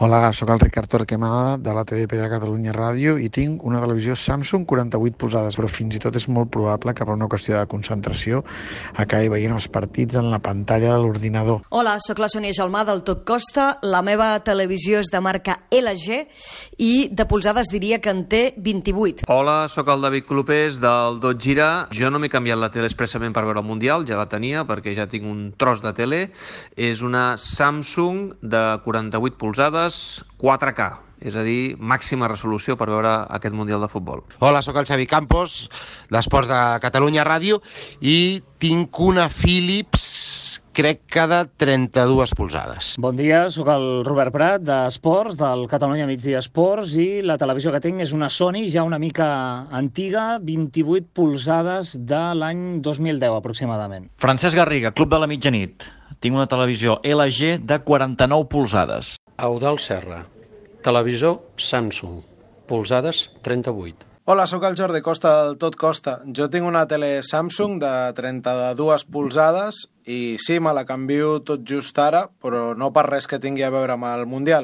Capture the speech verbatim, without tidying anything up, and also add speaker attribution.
Speaker 1: Hola, sóc el Ricard Torquemada de la T D P de Catalunya Ràdio i tinc una televisió Samsung quaranta-vuit polzades, però fins i tot és molt probable que per una qüestió de concentració acabi veient els partits en la pantalla de l'ordinador.
Speaker 2: Hola, sóc la Sònia Gelmà del Tot Costa. La meva televisió és de marca L G i de polzades diria que en té vint-i-vuit.
Speaker 3: Hola, sóc el David Clopés del Dot Gira. Jo no m'he canviat la tele expressament per veure el Mundial, ja la tenia perquè ja tinc un tros de tele. És una Samsung de quaranta-vuit polzades, quatre K, és a dir, màxima resolució per veure aquest Mundial de Futbol.
Speaker 4: Hola, sóc el Xavi Campos, d'Esports de Catalunya Ràdio, i tinc una Philips, crec que de trenta-dues polzades.
Speaker 5: Bon dia, sóc el Robert Prat, d'Esports, del Catalunya Migdia Esports, i la televisió que tinc és una Sony, ja una mica antiga, vint-i-vuit polzades de l'any dos mil deu, aproximadament.
Speaker 6: Francesc Garriga, Club de la Mitjanit. Tinc una televisió L G de quaranta-nou polzades.
Speaker 7: Eudald Serra, televisor Samsung, polzades trenta-vuit.
Speaker 8: Hola, sóc el Jordi Costa del Tot Costa. Jo tinc una tele Samsung de trenta-dues polzades i sí, me la canvio tot just ara, però no per res que tingui a veure amb el Mundial.